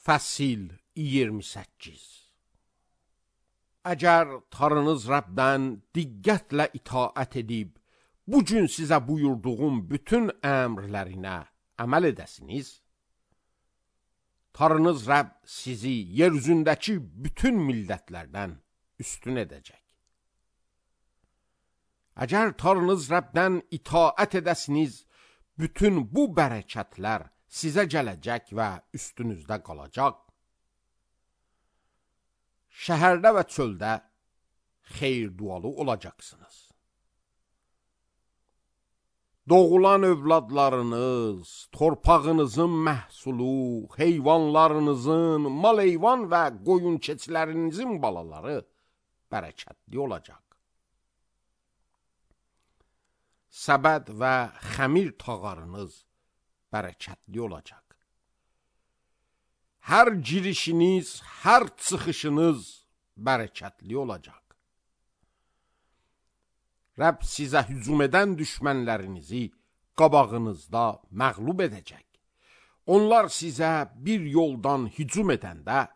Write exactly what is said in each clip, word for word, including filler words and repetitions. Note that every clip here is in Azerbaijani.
Fəsil iyirmi səkkiz. Əgər Tanrınız Rəbdən diqqətlə itaət edib, bu gün sizə buyurduğum bütün əmrlərinə əməl edəsiniz, Tanrınız Rəbb sizi yer üzündəki bütün millətlərdən üstün edəcək. Əgər Tanrınız Rəbdən itaət edəsiniz, bütün bu bərəkətlər sizə gələcək və üstünüzdə qalacaq. Şəhərdə və çöldə xeyir dualı olacaqsınız. Doğulan övladlarınız, torpağınızın məhsulu, heyvanlarınızın, mal-heyvan və qoyun keçilərinizin balaları bərəkətli olacaq. Səbəd və xəmir tağarınız bərəkətli olacaq. Hər girişiniz, hər çıxışınız bərəkətli olacaq. Rəbb sizə hücum edən düşmənlərinizi qabağınızda məğlub edəcək. Onlar sizə bir yoldan hücum edəndə,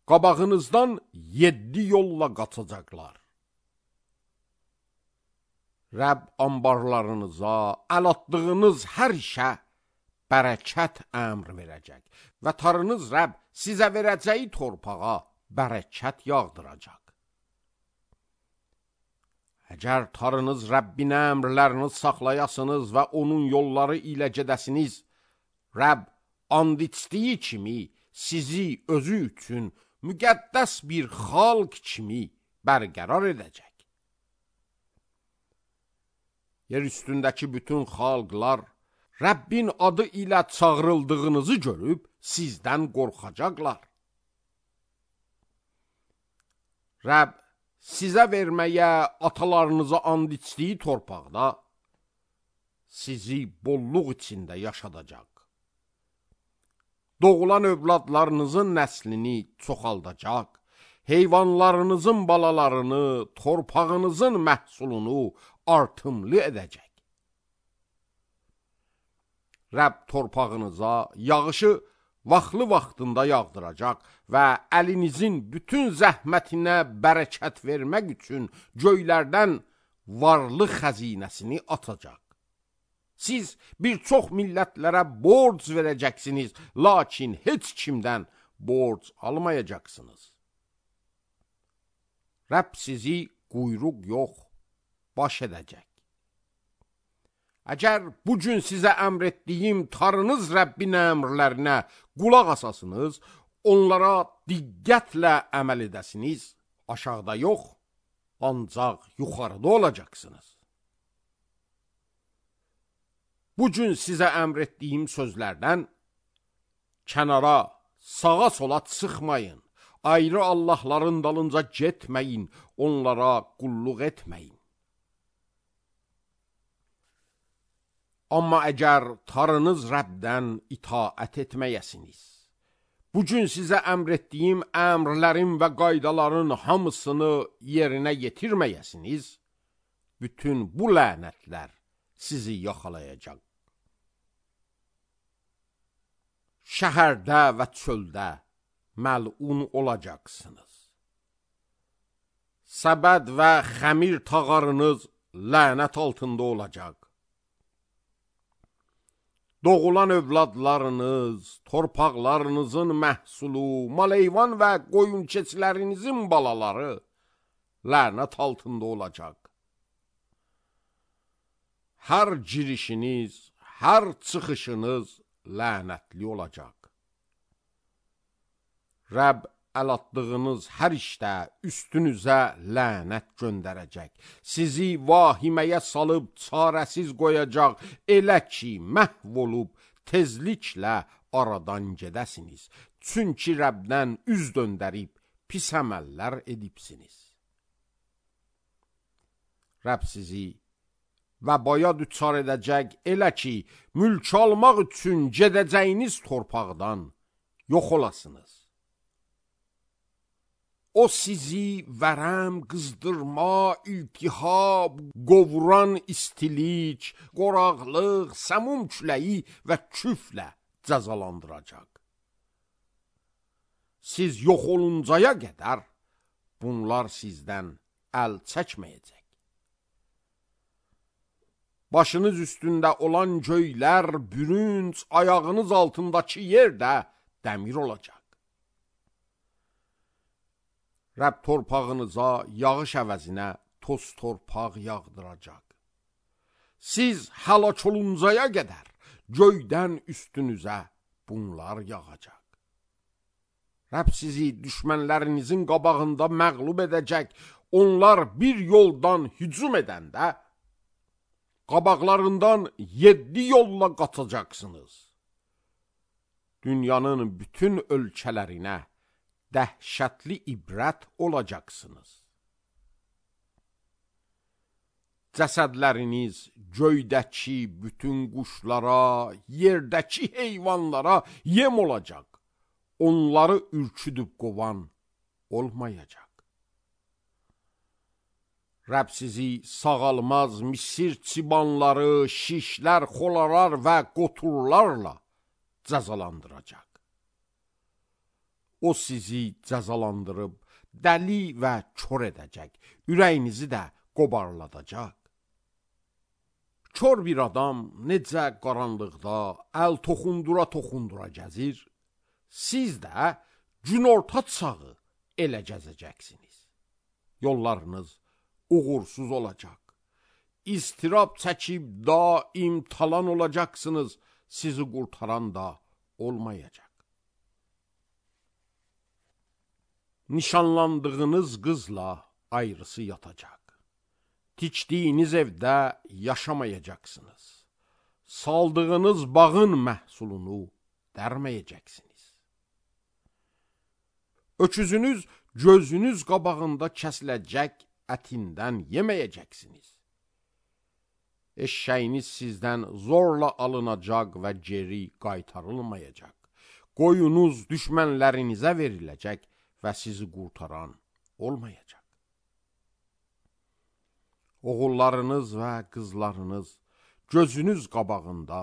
qabağınızdan yeddi yolla qaçacaqlar. Rəbb ambarlarınıza, əl atdığınız hər işə bərəkət əmr verəcək və Tanrınız Rəbb sizə verəcəyi torpağa bərəkət yağdıracaq. Əgər Tanrınız Rəbbin əmrlərini saxlayasınız və onun yolları ilə gedəsiniz, Rəbb and içdiyi kimi sizi özü üçün müqəddəs bir xalq kimi bərqərar edəcək. Yer üstündəki bütün xalqlar Rəbbin adı ilə çağrıldığınızı görüb sizdən qorxacaqlar. Rəbb sizə verməyə atalarınıza and içdiyi torpaqda sizi bolluq içində yaşadacaq. Doğulan övladlarınızın nəslini çoxaldacaq, heyvanlarınızın balalarını, torpağınızın məhsulunu artımlı edəcək. Rəbb torpağınıza yağışı vaxtlı vaxtında yağdıracaq və əlinizin bütün zəhmətinə bərəkət vermək üçün göylərdən varlı xəzinəsini atacaq. Siz bir çox millətlərə borc verəcəksiniz, lakin heç kimdən borc almayacaqsınız. Rəbb sizi quyruq yox, baş edəcək. Əgər bugün sizə əmr etdiyim Tanrınız Rəbbin əmrlərinə qulaq asasınız, onlara diqqətlə əməl edəsiniz, aşağıda yox, ancaq yuxarıda olacaqsınız. Bugün sizə əmr etdiyim sözlərdən kənara, sağa sola çıxmayın, ayrı Allahların dalınca getməyin, onlara qulluq etməyin. Amma əgər Tanrınız Rəbdən itaət etməyəsiniz, bugün sizə əmr etdiyim əmrlərin və qaydaların hamısını yerinə yetirməyəsiniz, bütün bu lənətlər sizi yaxalayacaq. Şəhərdə və çöldə məlun olacaqsınız. Səbəd və xəmir tağarınız lənət altında olacaq. Doğulan övladlarınız, torpaqlarınızın məhsulu, mal-heyvan və qoyun keçilərinizin balaları lənət altında olacaq. Hər girişiniz, hər çıxışınız lənətli olacaq. Rəbb əl atdığınız hər işdə üstünüzə lənət göndərəcək. Sizi vahiməyə salıb çarəsiz qoyacaq, elə ki məhv olub tezliklə aradan gedəsiniz. Çünki Rəbdən üz döndərib pis əməllər edibsiniz. Rəbb sizi vəbaya düçar edəcək, elə ki mülk almaq üçün gedəcəyiniz torpaqdan yox olasınız. O sizi vərəm, qızdırma, iltihab, qovuran istilik, qoraqlıq, səmum küləyi və küflə cəzalandıracaq. siz yox oluncaya qədər bunlar sizdən əl çəkməyəcək. Başınız üstündə olan göylər bürünc, ayağınız altındakı yer də dəmir olacaq. Rəbb torpağınıza yağış əvəzinə toz torpaq yağdıracaq. Siz həlak oluncaya qədər göydən üstünüzə bunlar yağacaq. Rəbb sizi düşmənlərinizin qabağında məğlub edəcək. Onlar bir yoldan hücum edəndə qabaqlarından yeddi yolla qaçacaqsınız. Dünyanın bütün ölkələrinə dəhşətli ibrət olacaqsınız. Cəsədləriniz göydəki bütün quşlara, yerdəki heyvanlara yem olacaq. Onları ürküdüb qovan olmayacaq. Rəbb sizi sağalmaz misir çibanları, şişlər, xolarar və qoturlarla cəzalandıracaq. O sizi cəzalandırıb dəli və kör edəcək, ürəyinizi də qobarladacaq. Kör bir adam necə qaranlıqda əl toxundura toxundura gəzir, siz də günorta çağı elə gəzəcəksiniz. Yollarınız uğursuz olacaq. İstirab çəkib daim talan olacaqsınız, sizi qurtaran da olmayacaq. Nişanlandığınız qızla ayrısı yatacaq. Tikdiyiniz evdə yaşamayacaqsınız. Saldığınız bağın məhsulunu dərməyəcəksiniz. Öküzünüz gözünüz qabağında kəsiləcək, ətindən yeməyəcəksiniz. Eşşəyiniz sizdən zorla alınacaq və geri qaytarılmayacaq. Qoyunuz düşmənlərinizə veriləcək və sizi qurtaran olmayacaq. Oğullarınız və qızlarınız gözünüz qabağında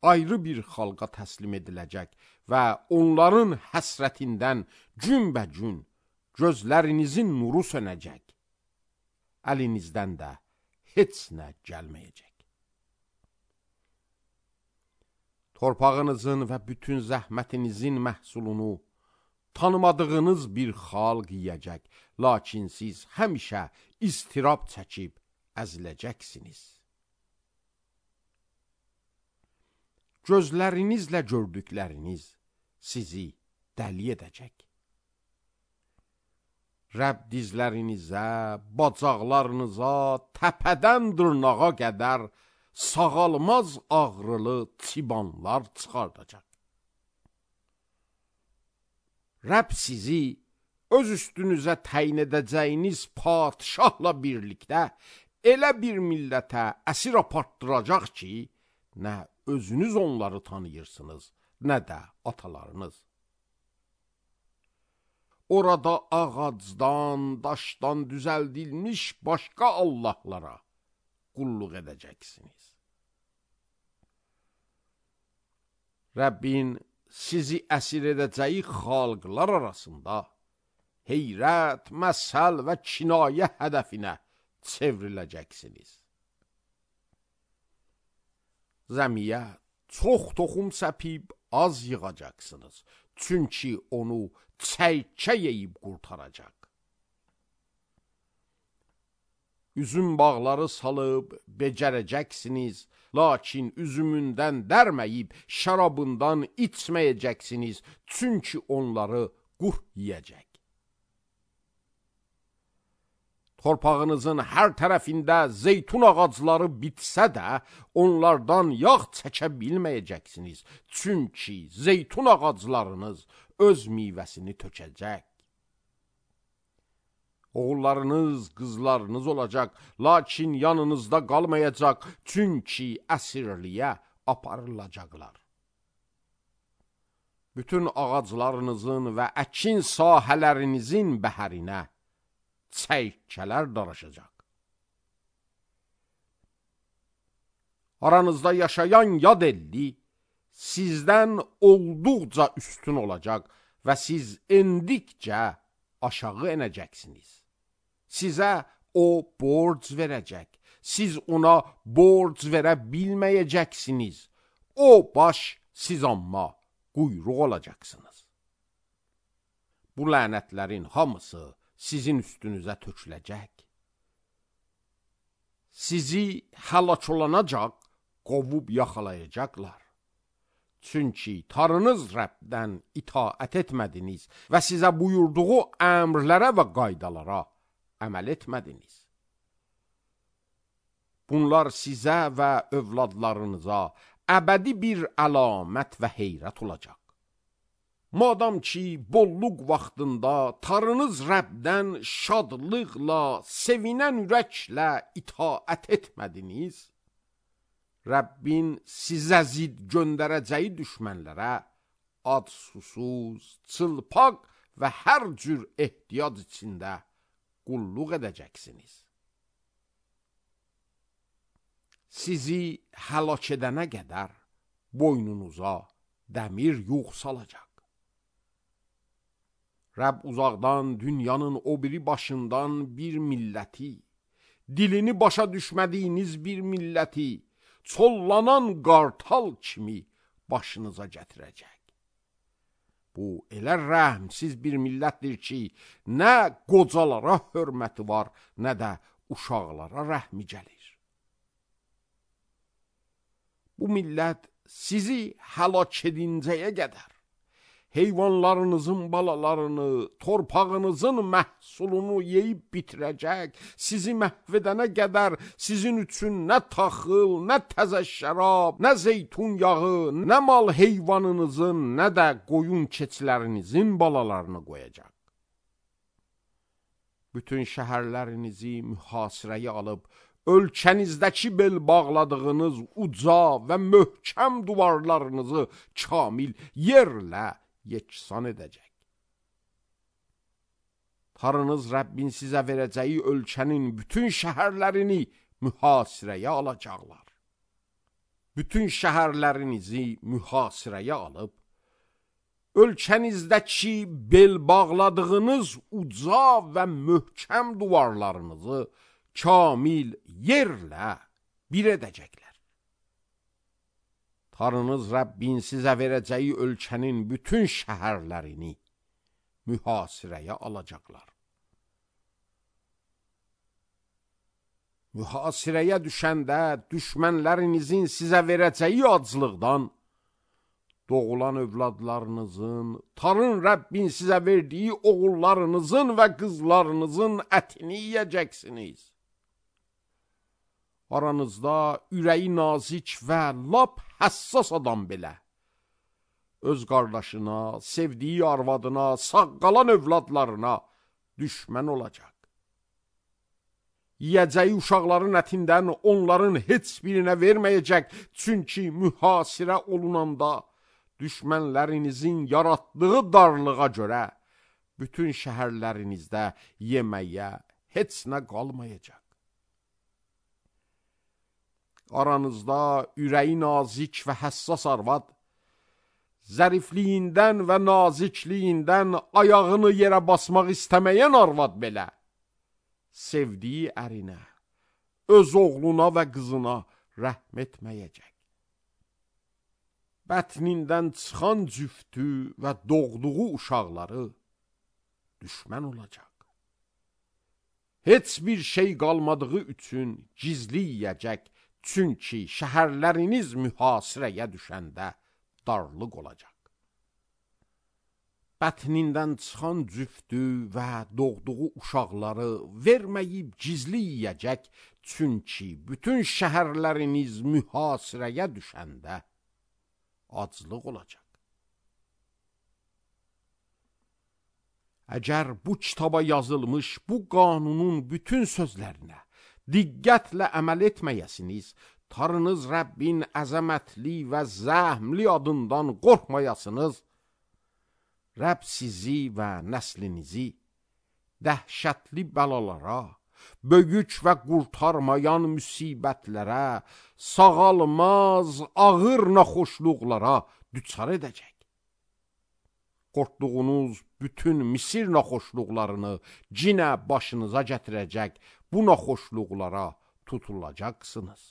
ayrı bir xalqa təslim ediləcək və onların həsrətindən günbə-gün gözlərinizin nuru sönəcək. Əlinizdən də heç nə gəlməyəcək. Torpağınızın və bütün zəhmətinizin məhsulunu tanımadığınız bir xalq yiyəcək, lakin siz həmişə istirab çəkib əziləcəksiniz. Gözlərinizlə gördükləriniz sizi dəli edəcək. Rəbb dizlərinizə, bacaqlarınıza, təpədən dırnağa qədər sağalmaz ağrılı çibanlar çıxardacaq. Rəbb sizi öz üstünüzə təyin edəcəyiniz padişahla birlikdə elə bir millətə əsir apartdıracaq ki, nə özünüz onları tanıyırsınız, nə də atalarınız. Orada ağacdan, daşdan düzəldilmiş başqa allahlara qulluq edəcəksiniz. Rəbbin sizi əsir edəcəyi xalqlar arasında heyrət, məsəl və kinayə hədəfinə çevriləcəksiniz. Zəmiyə çox toxum səpib az yığacaqsınız, çünki onu çəykə yeyib qurtaracaq. Üzüm bağları salıb becərəcəksiniz, lakin üzümündən dərməyib şərabından içməyəcəksiniz, çünki onları qurd yiyəcək. Torpağınızın hər tərəfində zeytun ağacları bitsə də, onlardan yağ çəkə bilməyəcəksiniz, çünki zeytun ağaclarınız öz meyvəsini tökəcək. Oğullarınız, qızlarınız olacaq, lakin yanınızda qalmayacaq, çünki əsirliyə aparılacaqlar. Bütün ağaclarınızın və əkin sahələrinizin bəhərinə çəykələr daraşacaq. Aranızda yaşayan yad elli sizdən olduqca üstün olacaq, və siz endikcə aşağı enəcəksiniz. Sizə o borc verəcək. Siz ona borc verə bilməyəcəksiniz. O baş, siz amma quyruq olacaqsınız. Bu lənətlərin hamısı sizin üstünüzə töküləcək. Sizi həlak olanacaq, qovub yaxalayacaqlar. Çünki Tanrınız Rəbdən itaət etmədiniz və sizə buyurduğu əmrlərə və qaydalara əməl etmədiniz. Bunlar sizə və övladlarınıza əbədi bir əlamət və heyrət olacaq. Madam ki, bolluq vaxtında Tanrınız Rəbdən şadlıqla, sevinən ürəklə itaət etmədiniz, Rəbbin sizə zid göndərəcəyi düşmənlərə ad susuz, çılpaq və hər cür ehtiyac içində qulluq edəcəksiniz. Sizi həlak edənə qədər boynunuza dəmir yux salacaq. Rəbb uzaqdan dünyanın o biri başından bir milləti, dilini başa düşmədiyiniz bir milləti, çollanan qartal kimi başınıza gətirəcək. Bu elə rəhmsiz bir millətdir ki, nə qocalara hörməti var, nə də uşaqlara rəhmi gəlir. Bu millət sizi həlak edincəyə qədər heyvanlarınızın balalarını, torpağınızın məhsulunu yeyib bitirəcək, sizi məhv edənə qədər sizin üçün nə taxıl, nə təzə şərab, nə zeytun yağı, nə mal heyvanınızın, nə də qoyun keçilərinizin balalarını qoyacaq. Bütün şəhərlərinizi mühasirəyə alıb, ölkənizdəki bel bağladığınız uca və möhkəm duvarlarınızı kamil yerlə yeksan edəcək. Tanrınız Rəbbin sizə verəcəyi ölkənin bütün şəhərlərini mühasirəyə alacaqlar. Bütün şəhərlərinizi mühasirəyə alıb, ölkənizdəki bel bağladığınız uca və möhkəm duvarlarınızı kamil yerlə bir edəcəklər. Tanrınız Rəbbin sizə verəcəyi ölkənin bütün şəhərlərini mühasirəyə alacaqlar. Mühasirəyə düşəndə düşmənlərinizin sizə verəcəyi aclıqdan doğulan övladlarınızın, Tanrın Rəbbin sizə verdiyi oğullarınızın və qızlarınızın ətini yiyəcəksiniz. Aranızda ürəyi nazik və lap həssas adam belə öz qardaşına, sevdiyi arvadına, sağ qalan övladlarına düşmən olacaq. Yiyəcəyi uşaqların ətindən onların heç birinə verməyəcək, çünki mühasirə olunanda düşmənlərinizin yaratdığı darlığa görə bütün şəhərlərinizdə yeməyə heç nə qalmayacaq. Aranızda ürəyi nazik və həssas arvad, zərifliyindən və nazikliyindən ayağını yerə basmaq istəməyən arvad belə, sevdiyi ərinə, öz oğluna və qızına rəhm etməyəcək. Bətnindən çıxan cüftü və doğduğu uşaqları düşmən olacaq. Heç bir şey qalmadığı üçün gizli yiyəcək, çünki şəhərləriniz mühasirəyə düşəndə darlıq olacaq. Bətnindən çıxan cüftü və doğduğu uşaqları verməyib gizli yiyəcək, çünki bütün şəhərləriniz mühasirəyə düşəndə aclıq olacaq. Əgər bu kitaba yazılmış bu qanunun bütün sözlərinə diqqətlə əməl etməyəsiniz, Tanrınız Rəbbin əzəmətli və zəhmli adından qorxmayasınız, Rəbb sizi və nəslinizi dəhşətli bəlalara, böyük və qurtarmayan müsibətlərə, sağalmaz, ağır naxoşluqlara düçar edəcək. qorxduğunuz bütün Misir naxoşluqlarını cinə başınıza gətirəcək, bu naxoşluqlara tutulacaqsınız.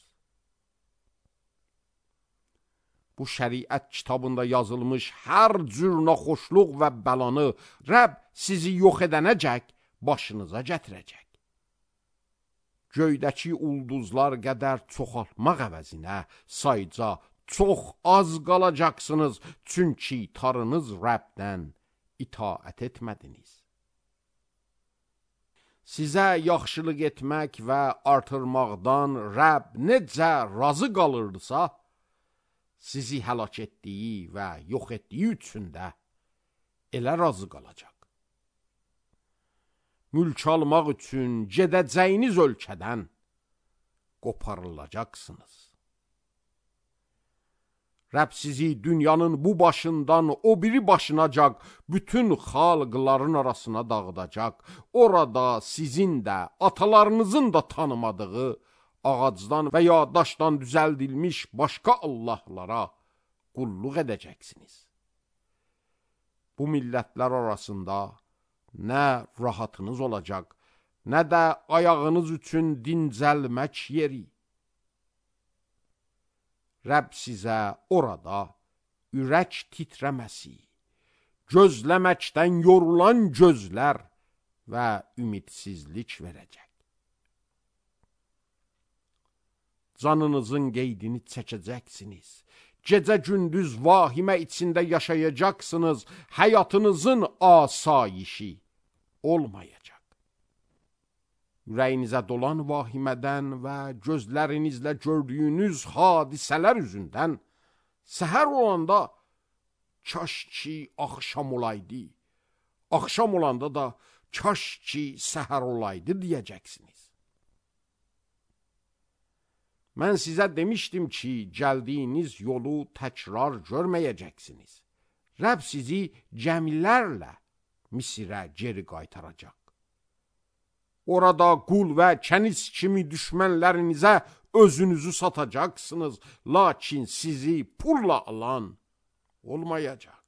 Bu şəriət kitabında yazılmış hər cür naxoşluq və bəlanı Rəbb sizi yox edənəcək başınıza gətirəcək. Göydəki ulduzlar qədər çoxaltmaq əvəzinə sayca çox az qalacaqsınız, çünki tarınız Rəbdən itaət etmədiniz. Sizə yaxşılıq etmək və artırmaqdan Rəbb necə razı qalırdısa, sizi həlak etdiyi və yox etdiyi üçün də elə razı qalacaq. Mülk almaq üçün gedəcəyiniz ölkədən qoparılacaqsınız. Rəbb sizi dünyanın bu başından o biri başınacaq bütün xalqların arasına dağıdacaq. Orada sizin də, atalarınızın da tanımadığı ağacdan və ya daşdan düzəldilmiş başqa allahlara qulluq edəcəksiniz. Bu millətlər arasında nə rahatınız olacaq, nə də ayağınız üçün dincəlmək yeri. Rəbb sizə orada ürək titrəməsi, gözləməkdən yorulan gözlər və ümidsizlik verəcək. Canınızın qeydini çəkəcəksiniz. Gecə-gündüz vahimə içində yaşayacaqsınız. Həyatınızın asayişi olmayacaq. Ürəyinizə dolan vahimədən və gözlərinizlə gördüyünüz hadisələr üzündən səhər olanda kaş ki axşam olaydı, axşam olanda da kaş ki səhər olaydı deyəcəksiniz. Mən sizə demişdim ki, gəldiyiniz yolu təkrar görməyəcəksiniz. Rəbb sizi gəmilərlə Misirə geri qaytaracaq. Orada qul və kəniz kimi düşmənlərinizə özünüzü satacaqsınız, lakin sizi pulla alan olmayacaq.